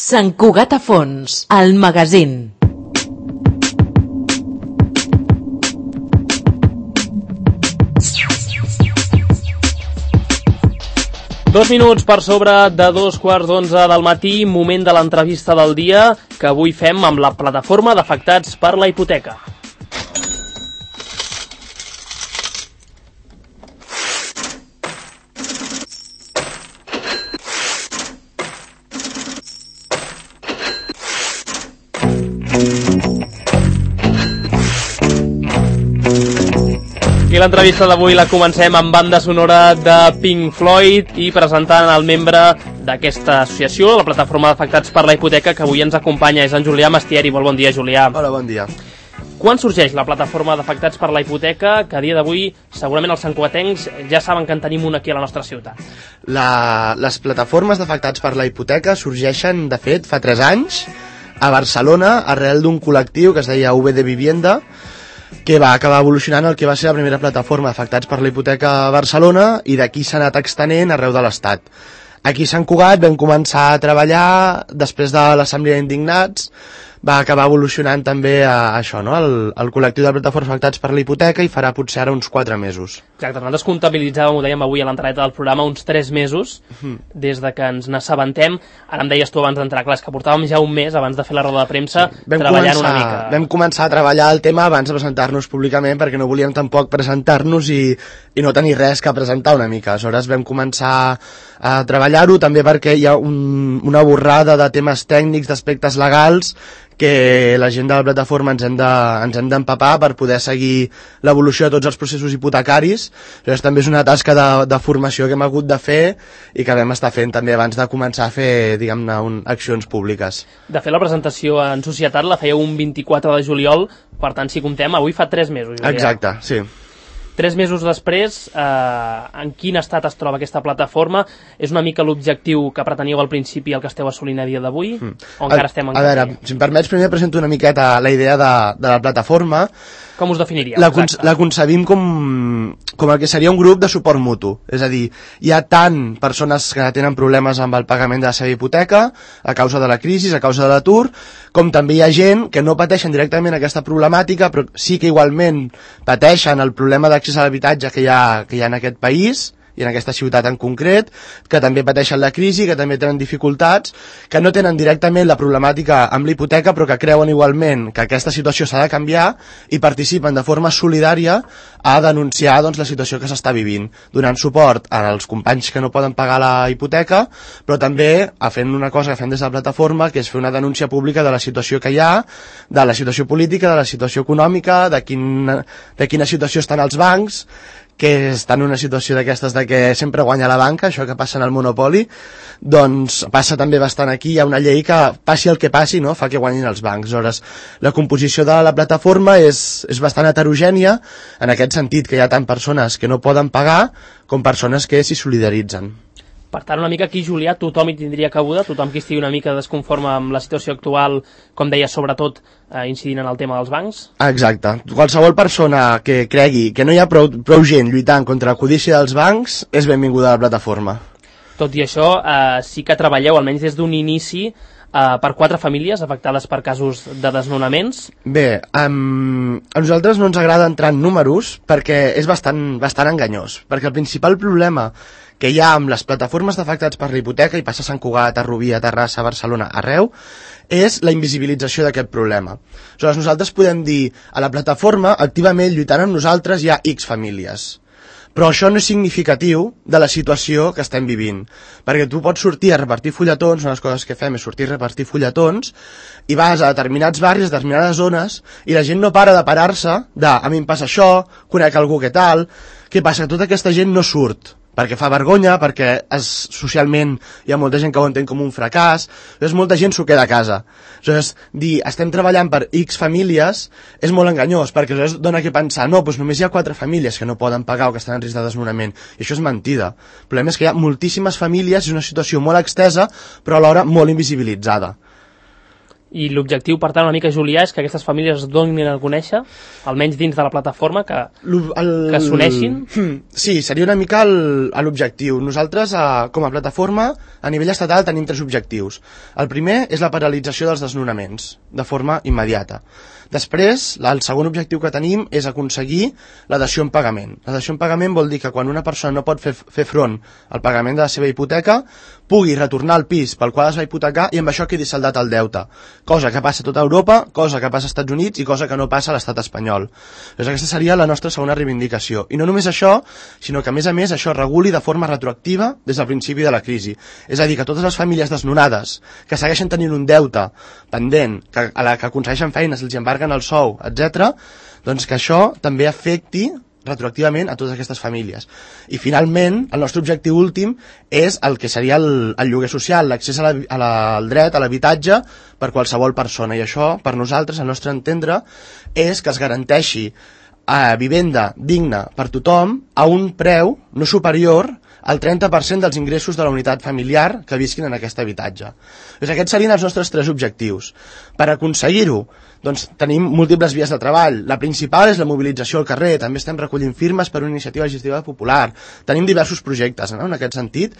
Sant Cugat a fons, el magazín. Dos minuts per sobre de 2:15 del matí, moment de l'entrevista del dia que avui fem amb la plataforma d'afectats per la hipoteca. I l'entrevista d'avui la comencem amb banda sonora de Pink Floyd i presentant el membre d'aquesta associació, la plataforma d'afectats per la hipoteca, que avui ens acompanya, és en Julià Mastieri. Molt bon dia, Julià. Hola, bon dia. Quan sorgeix la plataforma d'afectats per la hipoteca, que a dia d'avui segurament els santcugatencs ja saben que en tenim una aquí a la nostra ciutat? Les plataformes d'afectats per la hipoteca sorgeixen, de fet, fa 3 anys a Barcelona, arrel d'un col·lectiu que es deia VD Vivienda, que va acabar evolucionant el que va ser la primera plataforma d'afectats per la hipoteca a Barcelona, i d'aquí s'ha anat extenent arreu de l'Estat. Aquí a Sant Cugat vam començar a treballar després de l'Assemblea d'Indignats, va acabar evolucionant també a això, no? el col·lectiu de plataformes afectats per la hipoteca, i farà potser ara uns 4 mesos. Exacte, nosaltres comptabilitzàvem, ho dèiem avui a l'entrada del programa, uns 3 mesos des de que ens n'assabentem. Ara em deies tu abans d'entrar, clar, és que portàvem ja un mes abans de fer la roda de premsa, sí, treballant una mica. Vam començar a treballar el tema abans de presentar-nos públicament, perquè no volíem tampoc presentar-nos i no tenir res que presentar una mica. Aleshores vam començar a treballar-ho, també perquè hi ha una borrada de temes tècnics, d'aspectes legals, que la gent de la plataforma ens hem d'empapar per poder seguir l'evolució de tots els processos hipotecaris. Llavors també és una tasca de formació que hem hagut de fer i que vam estar fent també abans de començar a fer, diguem-ne, accions públiques. De fet, la presentació en societat la fèieu un 24 de juliol, per tant, si comptem, avui fa 3 mesos. Exacte, sí. 3 mesos després, en quin estat es troba aquesta plataforma? És una mica l'objectiu que preteníeu al principi, el que esteu assolint a dia d'avui? O encara estem en camí? A veure, si em permets, primer presento una miqueta la idea de la plataforma. Com us definiríeu? La concebim com el que seria un grup de suport mutu. És a dir, hi ha tant persones que tenen problemes amb el pagament de la seva hipoteca a causa de la crisi, a causa de l'atur, com també hi ha gent que no pateixen directament aquesta problemàtica, però sí que igualment pateixen el problema d'accés a l'habitatge que hi ha en aquest país i en aquesta ciutat en concret, que també pateixen la crisi, que també tenen dificultats, que no tenen directament la problemàtica amb la hipoteca, però que creuen igualment que aquesta situació s'ha de canviar i participen de forma solidària a denunciar, doncs, la situació que s'està vivint, donant suport als companys que no poden pagar la hipoteca, però també fent una cosa que fem des de la plataforma, que és fer una denúncia pública de la situació que hi ha, de la situació política, de la situació econòmica, de quina situació estan els bancs, que estan en una situació d'aquestes de que sempre guanya la banca, això que passa en el monopoli, doncs passa també bastant aquí. Hi ha una llei que, passi el que passi, no?, fa que guanyin els bancs. Aleshores, la composició de la plataforma és bastant heterogènia, en aquest sentit, que hi ha tant persones que no poden pagar com persones que s'hi solidaritzen. Per tant, una mica aquí, Julià, tothom hi tindria cabuda, tothom que estigui una mica desconforme amb la situació actual, com deia, sobretot incidint en el tema dels bancs? Exacte. Qualsevol persona que cregui que no hi ha prou gent lluitant contra la codícia dels bancs és benvinguda a la plataforma. Tot i això, sí que treballeu, almenys des d'un inici, per 4 famílies afectades per casos de desnonaments. Bé, a nosaltres no ens agrada entrar en números perquè és bastant enganyós, perquè el principal problema que hi ha amb les plataformes d'afectats per la hipoteca, i passa a Sant Cugat, a Rubí, a Terrassa, a Barcelona, arreu, és la invisibilització d'aquest problema. Aleshores, nosaltres podem dir, a la plataforma, activament lluitant amb nosaltres hi ha X famílies. Però això no és significatiu de la situació que estem vivint, perquè tu pots sortir a repartir fulletons, una de les coses que fem és sortir a repartir fulletons, i vas a determinats barris, a determinades zones, i la gent no para de parar-se de, a mi em passa això, conec algú que tal. Què passa? Que tota aquesta gent no surt, perquè fa vergonya, perquè socialment hi ha molta gent que ho entén com un fracàs, llavors molta gent s'ho queda a casa. Aleshores, dir estem treballant per X famílies és molt enganyós, perquè aleshores dona que pensar, no, doncs només hi ha 4 famílies que no poden pagar o que estan en risc de desnonament, i això és mentida. El problema és que hi ha moltíssimes famílies, és una situació molt extesa, però alhora molt invisibilitzada. I l'objectiu, per tant, una mica, Julià, és que aquestes famílies es donin a conèixer, almenys dins de la plataforma, que s'uneixin. Sí, seria una mica l'objectiu. Nosaltres, com a plataforma, a nivell estatal tenim 3 objectius. El primer és la paralització dels desnonaments, de forma immediata. Després, el segon objectiu que tenim és aconseguir la dació en pagament. La dació en pagament vol dir que quan una persona no pot fer front al pagament de la seva hipoteca, pugui retornar al pis pel qual es va hipotecar i amb això quedi saldat el deute. Cosa que passa a tota Europa, cosa que passa als Estats Units i cosa que no passa a l'estat espanyol. Doncs aquesta seria la nostra segona reivindicació. I no només això, sinó que a més això reguli de forma retroactiva des del principi de la crisi. És a dir, que totes les famílies desnonades que segueixen tenint un deute pendent, a la que aconsegueixen feines, els embarguen el sou, etc., doncs que això també afecti retroactivament a totes aquestes famílies. I finalment, el nostre objectiu últim és el que seria el lloguer social, l'accés al dret a l'habitatge per qualsevol persona. I això, per nosaltres, al nostre entendre, és que es garanteixi vivenda digna per tothom a un preu no superior al 30% dels ingressos de la unitat familiar que visquin en aquest habitatge. Doncs aquests serien els nostres 3 objectius. Per aconseguir-ho, doncs tenim múltiples vies de treball. La principal és la mobilització al carrer, també estem recollint firmes per una iniciativa legislativa popular. Tenim diversos projectes, no?, en aquest sentit,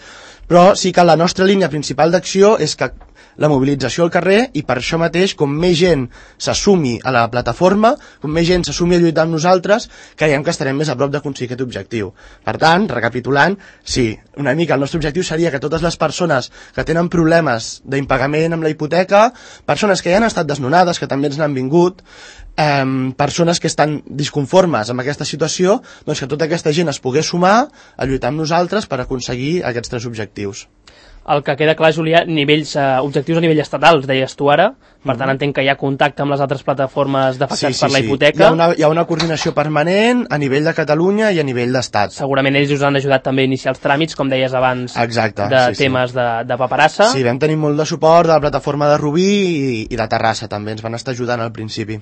però sí que la nostra línia principal d'acció és que la mobilització al carrer, i per això mateix, com més gent s'assumi a la plataforma, com més gent s'assumi a lluitar amb nosaltres, creiem que estarem més a prop d'aconseguir aquest objectiu. Per tant, recapitulant, sí, una mica el nostre objectiu seria que totes les persones que tenen problemes d'impagament amb la hipoteca, persones que ja han estat desnonades, que també ens n'han vingut, persones que estan disconformes amb aquesta situació, doncs que tota aquesta gent es pogués sumar a lluitar amb nosaltres per aconseguir aquests 3 objectius. El que queda clar, Julià, objectius a nivell estatal, els deies tu ara, per tant entenc que hi ha contacte amb les altres plataformes d'afectats per la hipoteca. Hi ha una coordinació permanent a nivell de Catalunya i a nivell d'Estat. Segurament ells us han ajudat també a iniciar els tràmits, com deies abans, temes de paperassa. Sí, vam tenir molt de suport de la plataforma de Rubí i de Terrassa, també ens van estar ajudant al principi.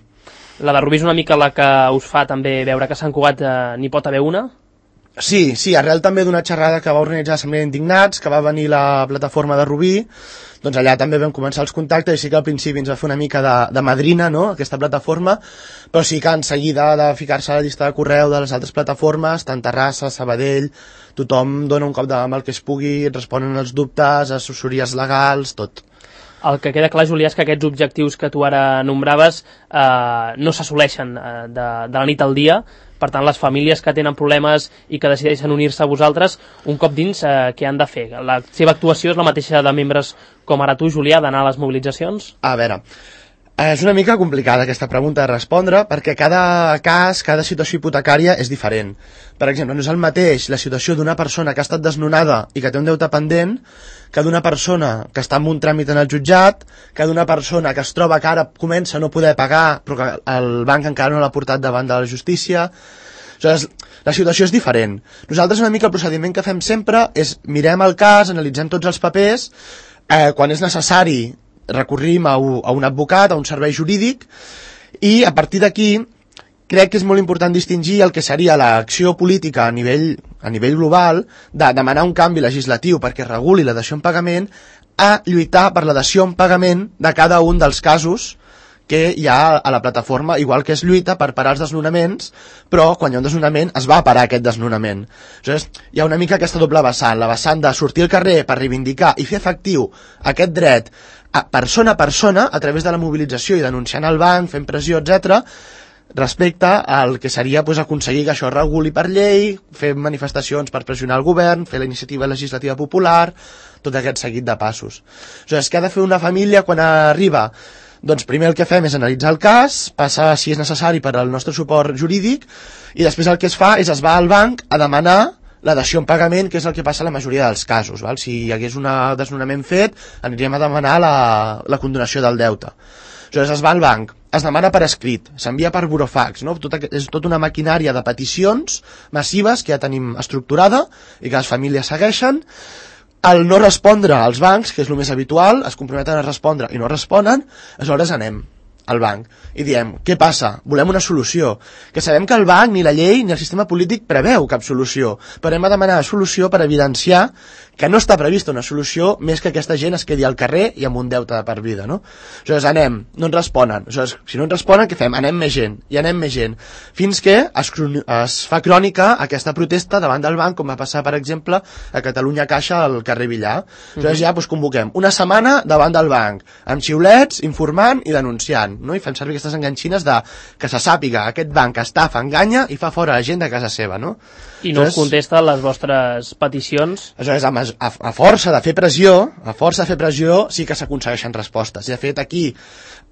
La de Rubí és una mica la que us fa també veure que a Sant Cugat n'hi pot haver una? Sí, arrel també d'una xerrada que va organitzar l'Assemblea d'Indignats, que va venir la plataforma de Rubí, doncs allà també vam començar els contactes, i sí que al principi ens va fer una mica de madrina, no?, aquesta plataforma, però sí que en seguida de ficar-se a la llista de correu de les altres plataformes, tant Terrassa, Sabadell, tothom dona un cop de mà amb el que es pugui, responen els dubtes, assessories legals, tot. El que queda clar, Julià, és que aquests objectius que tu ara nombraves no s'assoleixen de la nit al dia. Per tant, les famílies que tenen problemes i que decideixen unir-se a vosaltres, un cop dins, què han de fer? La seva actuació és la mateixa de membres com ara tu, Julià, d'anar a les mobilitzacions? A veure, és una mica complicada aquesta pregunta de respondre, perquè cada cas, cada situació hipotecària és diferent. Per exemple, no és el mateix la situació d'una persona que ha estat desnonada i que té un deute pendent que d'una persona que està en un tràmit en el jutjat, que d'una persona que es troba que ara comença a no poder pagar però que el banc encara no l'ha portat davant de la justícia. Aleshores, la situació és diferent. Nosaltres una mica el procediment que fem sempre és mirem el cas, analitzem tots els papers, quan és necessari recorrim a un advocat, a un servei jurídic, i a partir d'aquí crec que és molt important distingir el que seria l'acció política a nivell global de demanar un canvi legislatiu perquè reguli la dació en pagament a lluitar per la dació en pagament de cada un dels casos que hi ha a la plataforma, igual que es lluita per parar els desnonaments, però quan hi ha un desnonament es va parar aquest desnonament. Aleshores, hi ha una mica aquesta doble vessant, la vessant de sortir al carrer per reivindicar i fer efectiu aquest dret a persona a través de la mobilització i denunciant el banc, fent pressió, etc., respecte al que seria aconseguir que això es reguli per llei, fer manifestacions per pressionar el govern, fer la iniciativa legislativa popular, tot aquest seguit de passos. Aleshores, què ha de fer una família quan arriba? Doncs primer el que fem és analitzar el cas, passar si és necessari per al nostre suport jurídic, i després el que es fa és es va al banc a demanar la dació en pagament, que és el que passa a la majoria dels casos. Val? Si hi hagués un desnonament fet, aniríem a demanar la condonació del deute. Aleshores es va al banc, es demana per escrit, s'envia per burofax, no? És tota una maquinària de peticions massives que ja tenim estructurada i que les famílies segueixen. Al no respondre als bancs, que és el més habitual, es comprometen a respondre i no responen, aleshores anem al banc i diem, què passa? Volem una solució. Que sabem que el banc, ni la llei, ni el sistema polític preveu cap solució, però hem de demanar solució per evidenciar que no està prevista una solució més que aquesta gent es quedi al carrer i amb un deute de per vida, no? Aleshores anem, no ens responen, aleshores, si no ens responen, què fem? Anem més gent, i anem més gent, fins que es fa crònica aquesta protesta davant del banc, com va passar, per exemple, a Catalunya Caixa al carrer Villar. Aleshores ja convoquem una setmana davant del banc, amb xiulets, informant i denunciant, no? I fem servir aquestes enganxines de que se sàpiga aquest banc estafa, enganya i fa fora la gent de casa seva, no? I no us contesta les vostres peticions? Aleshores, a força de fer pressió, sí que s'aconsegueixen respostes. I de fet, aquí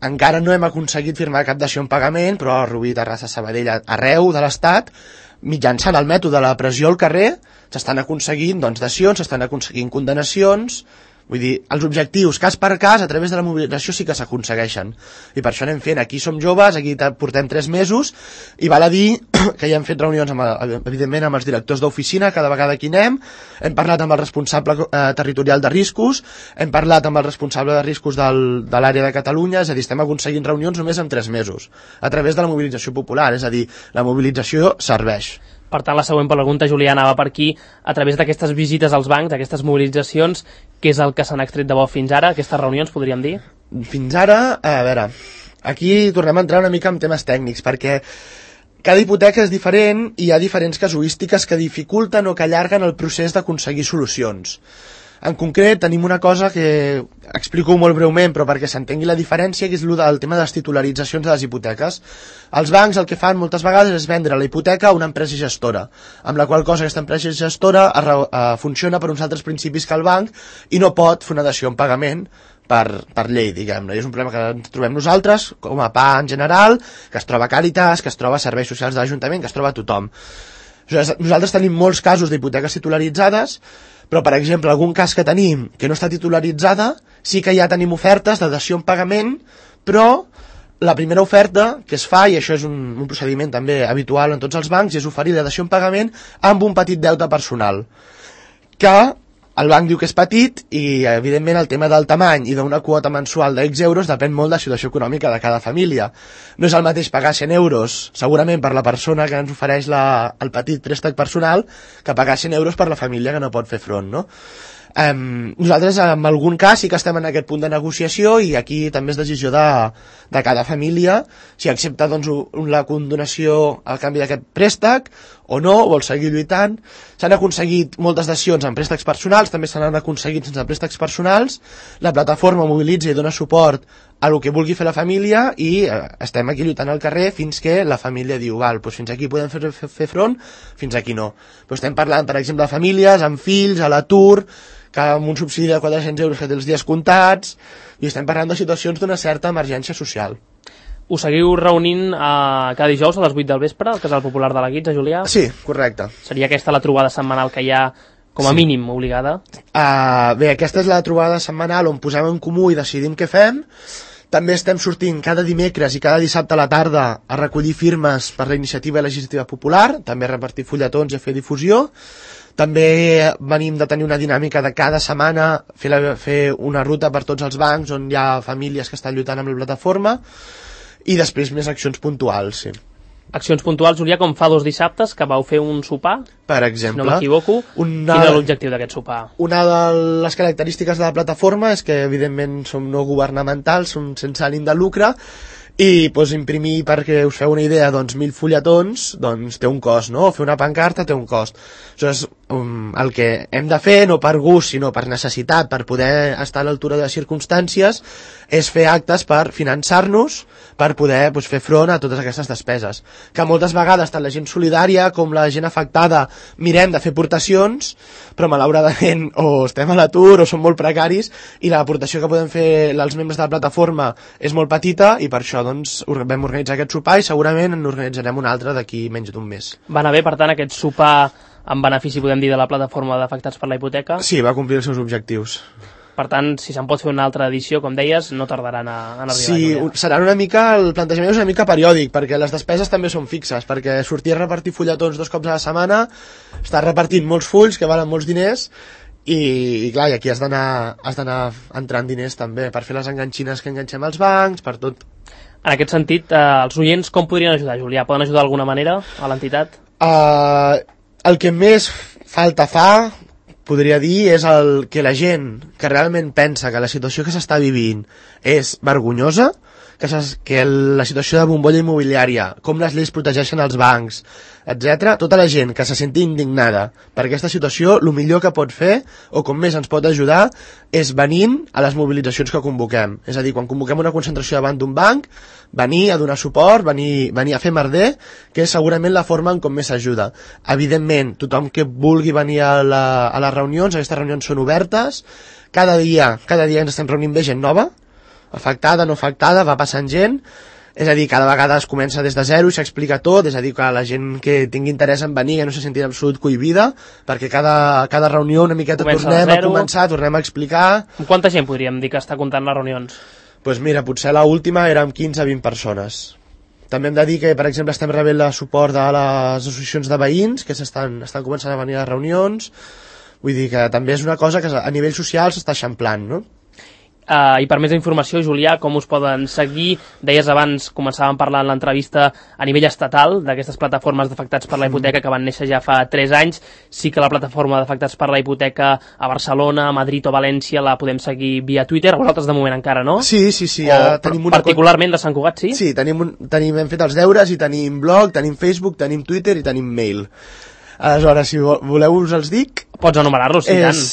encara no hem aconseguit firmar cap dació en pagament, però a Rubí, Terrassa, Sabadell, arreu de l'Estat, mitjançant el mètode de la pressió al carrer, s'estan aconseguint dacions, s'estan aconseguint condenacions. Vull dir, els objectius, cas per cas, a través de la mobilització sí que s'aconsegueixen. I per això anem fent. Aquí som joves, aquí portem 3 mesos, i val a dir que ja hem fet reunions, evidentment, amb els directors d'oficina, cada vegada que anem, hem parlat amb el responsable territorial de riscos, hem parlat amb el responsable de riscos de l'àrea de Catalunya, és a dir, estem aconseguint reunions només en 3 mesos, a través de la mobilització popular, és a dir, la mobilització serveix. Per tant, la següent pregunta, Julià, anava per aquí. A través d'aquestes visites als bancs, d'aquestes mobilitzacions, què és el que s'han extret de bo fins ara? Aquestes reunions, podríem dir? Fins ara, a veure, aquí tornem a entrar una mica en temes tècnics, perquè cada hipoteca és diferent i hi ha diferents casuístiques que dificulten o que allarguen el procés d'aconseguir solucions. En concret, tenim una cosa que explico molt breument, però perquè s'entengui la diferència, que és el tema de les titularitzacions de les hipoteques. Els bancs el que fan moltes vegades és vendre la hipoteca a una empresa gestora, amb la qual cosa aquesta empresa gestora funciona per uns altres principis que el banc i no pot fer una dació en pagament per llei, diguem-ne. I és un problema que ens trobem nosaltres, com a PA en general, que es troba a Càritas, que es troba a serveis socials de l'Ajuntament, que es troba a tothom. Nosaltres tenim molts casos d'hipoteques titularitzades, però, per exemple, algun cas que tenim que no està titularitzada, sí que ja tenim ofertes de dació en pagament, però la primera oferta que es fa, i això és un procediment també habitual en tots els bancs, és oferir la dació en pagament amb un petit deute personal, que el banc diu que és petit i, evidentment, el tema del tamany i d'una quota mensual d'X euros depèn molt de la situació econòmica de cada família. No és el mateix pagar 100 euros, segurament, per la persona que ens ofereix el petit préstec personal, que pagar 100 euros per la família que no pot fer front, no? Nosaltres en algun cas sí que estem en aquest punt de negociació i aquí també és decisió de cada família si accepta doncs, la condonació al canvi d'aquest préstec o no, vol seguir lluitant. S'han aconseguit moltes dacions en préstecs personals, també s'han aconseguit sense préstecs personals. La plataforma mobilitza i dona suport a el que vulgui fer la família i estem aquí lluitant al carrer fins que la família diu, val, doncs fins aquí podem fer front, fins aquí no. Però estem parlant, per exemple, de famílies amb fills, a l'atur, que amb un subsidi de 400 euros que té els dies comptats, i estem parlant de situacions d'una certa emergència social. Us seguiu reunint cada dijous a les 8 del vespre al Casal Popular de la Guitza, Julià? Sí, correcte. Seria aquesta la trobada setmanal que hi ha com a mínim obligada? Bé, aquesta és la trobada setmanal on posem en comú i decidim què fem. També estem sortint cada dimecres i cada dissabte a la tarda a recollir firmes per la iniciativa legislativa popular, també a repartir fulletons i a fer difusió. També venim de tenir una dinàmica de cada setmana fer una ruta per tots els bancs on hi ha famílies que estan lluitant amb la plataforma i després més accions puntuals, sí. Accions puntuals, Julià, com fa 2 dissabtes que vau fer un sopar, per exemple, si no m'equivoco. Quin era l'objectiu d'aquest sopar? Una de les característiques de la plataforma és que evidentment som no governamentals, som sense ànim de lucre, i doncs, imprimir, perquè us feu una idea, doncs, 1.000 fulletons doncs, té un cost, no? Fer una pancarta té un cost. Aleshores, el que hem de fer, no per gust, sinó per necessitat, per poder estar a l'altura de les circumstàncies, és fer actes per finançar-nos, per poder doncs, fer front a totes aquestes despeses. Que moltes vegades, tant la gent solidària com la gent afectada, mirem de fer aportacions, però malauradament o estem a l'atur o som molt precaris, i l'aportació que podem fer els membres de la plataforma és molt petita, i per això doncs, vam organitzar aquest sopar i segurament n'organitzarem un altre d'aquí menys d'un mes. Va anar bé, per tant, aquest sopar en benefici, podem dir, de la plataforma d'afectats per la hipoteca? Sí, va complir els seus objectius. Per tant, si se'n pot fer una altra edició, com deies, no tardaran en arribar. Sí, serà una mica, el plantejament és una mica periòdic, perquè les despeses també són fixes, perquè sortir a repartir fulletons 2 cops a la setmana, estàs repartint molts fulls que valen molts diners, i clar, i aquí has d'anar entrant diners també, per fer les enganxines que enganxem als bancs, per tot. En aquest sentit, els oients com podrien ajudar, Julià? Poden ajudar d'alguna manera a l'entitat? El que més falta fa, podria dir és que la gent que realment pensa que la situació que s'està vivint és vergonyosa, que la situació de bombolla immobiliària, com les lleis protegeixen els bancs, etc. Tota la gent que se senti indignada per aquesta situació, el millor que pot fer, o com més ens pot ajudar, és venint a les mobilitzacions que convoquem. És a dir, quan convoquem una concentració davant d'un banc, venir a donar suport, venir a fer merder, que és segurament la forma en com més s'ajuda. Evidentment, tothom que vulgui venir a les reunions, aquestes reunions són obertes, cada dia ens estem reunint bé gent nova, afectada, no afectada, va passant gent, és a dir, cada vegada es comença des de zero i s'explica tot, és a dir, que la gent que tingui interès en venir, que no se senti en absolut cohibida, perquè cada reunió una miqueta tornem a començar, tornem a explicar. Amb quanta gent podríem dir que està comptant les reunions? Doncs mira, potser l'última érem 15-20 persones. També hem de dir que, per exemple, estem rebent el suport de les associacions de veïns, que estan començant a venir a les reunions, vull dir que també és una cosa que a nivell social s'està eixamplant, no? I per més informació, Julià, com us poden seguir? Deies abans, començàvem parlant en l'entrevista a nivell estatal d'aquestes plataformes d'afectats per la hipoteca que van néixer ja fa 3 anys. Sí que la plataforma d'afectats per la hipoteca a Barcelona, a Madrid o València la podem seguir via Twitter, vosaltres de moment encara no? Sí. Tenim particularment de Sant Cugat, sí? Sí, hem fet els deures i tenim blog, tenim Facebook, tenim Twitter i tenim mail. Aleshores, si voleu us els dic... Pots enumerar-los, sí, tant.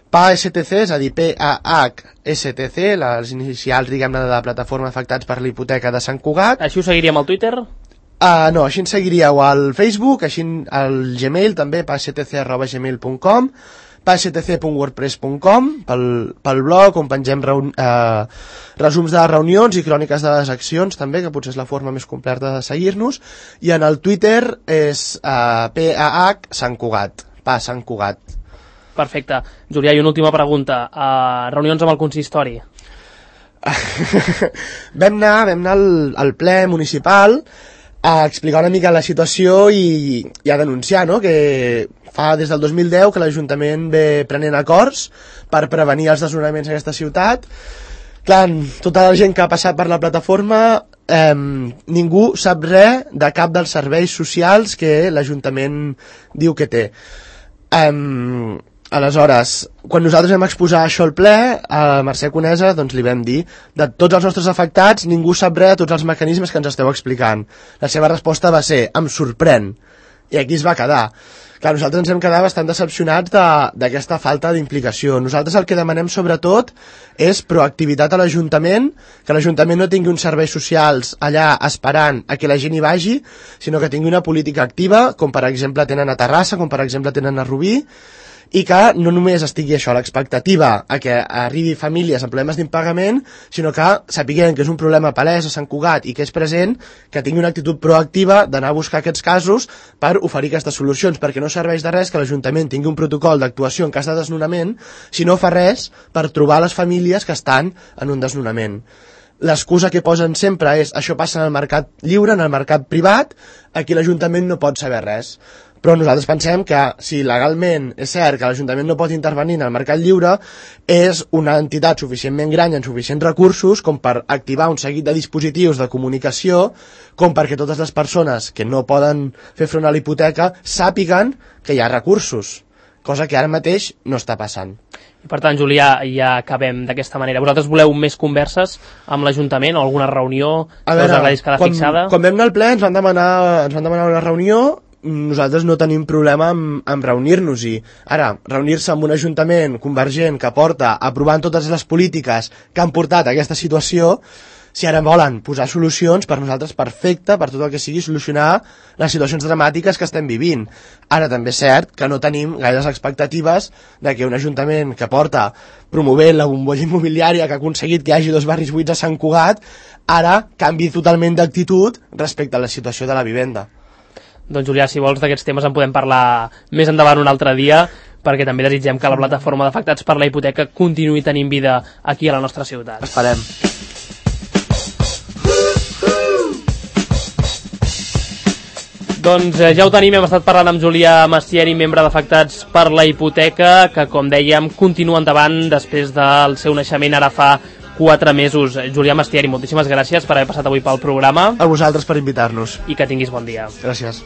PAHSTC, és a dir, PAHSTC, les inicials, diguem-ne, de la plataforma afectats per la hipoteca de Sant Cugat. Així ho seguiríem al Twitter? No, així ens seguiríeu al Facebook, així al Gmail també, pahstc@gmail.com, pahstc.wordpress.com, pel blog, on pengem resums de les reunions i cròniques de les accions també, que potser és la forma més completa de seguir-nos, i en el Twitter és PAH Sant Cugat, Sant Cugat. Perfecte. Julià, i una última pregunta. Reunions amb el consistori? Vam anar al ple municipal a explicar una mica la situació i a denunciar, no?, que fa des del 2010 que l'Ajuntament ve prenent acords per prevenir els desnonaments en aquesta ciutat. Clar, tota la gent que ha passat per la plataforma, ningú sap res de cap dels serveis socials que l'Ajuntament diu que té. Aleshores, quan nosaltres vam exposar això al ple, a Mercè Conesa, doncs li vam dir, de tots els nostres afectats, ningú sap res de tots els mecanismes que ens esteu explicant. La seva resposta va ser, em sorprèn. I aquí es va quedar. Clar, nosaltres ens hem quedat bastant decepcionats d'aquesta falta d'implicació. Nosaltres el que demanem sobretot és proactivitat a l'Ajuntament, que l'Ajuntament no tingui uns serveis socials allà esperant a que la gent hi vagi, sinó que tingui una política activa, com per exemple tenen a Terrassa, com per exemple tenen a Rubí, i que no només estigui això, l'expectativa a que arribi famílies amb problemes d'impagament, sinó que sapiguem que és un problema palès a Sant Cugat i que és present, que tingui una actitud proactiva d'anar a buscar aquests casos per oferir aquestes solucions, perquè no serveix de res que l'Ajuntament tingui un protocol d'actuació en cas de desnonament si no fa res per trobar les famílies que estan en un desnonament. L'excusa que posen sempre és això passa en el mercat lliure, en el mercat privat, aquí l'Ajuntament no pot saber res. Però nosaltres pensem que si legalment és cert que l'Ajuntament no pot intervenir en el mercat lliure, és una entitat suficientment gran i amb suficients recursos com per activar un seguit de dispositius de comunicació, com perquè totes les persones que no poden fer front a la hipoteca sàpiguen que hi ha recursos, cosa que ara mateix no està passant. I per tant, Julià, ja acabem d'aquesta manera. Vosaltres voleu més converses amb l'Ajuntament o alguna reunió que us agradis quedar fixada? Quan vam anar al ple ens van demanar una reunió. Nosaltres no tenim problema amb reunir-nos-hi. Ara, reunir-se amb un ajuntament convergent que porta aprovant totes les polítiques que han portat a aquesta situació, si ara volen posar solucions, per nosaltres perfecte, per tot el que sigui solucionar les situacions dramàtiques que estem vivint. Ara també és cert que no tenim gaires expectatives de que un ajuntament que porta promovent la bombolla immobiliària, que ha aconseguit que hi hagi 2 barris buits a Sant Cugat, ara canvi totalment d'actitud respecte a la situació de la vivenda. Doncs Julià, si vols d'aquests temes en podem parlar més endavant un altre dia, perquè també desitgem que la plataforma d'afectats per la hipoteca continuï tenint vida aquí a la nostra ciutat. Esperem. Doncs ja ho tenim, hem estat parlant amb Julià Mastieri, membre d'Afectats per la Hipoteca, que com dèiem continua endavant després del seu naixement ara fa 4 mesos. Julià Mastieri, moltíssimes gràcies per haver passat avui pel programa. A vosaltres per invitar-nos. I que tinguis bon dia. Gràcies.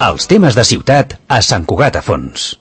Els temes de ciutat a Sant Cugat a Fons.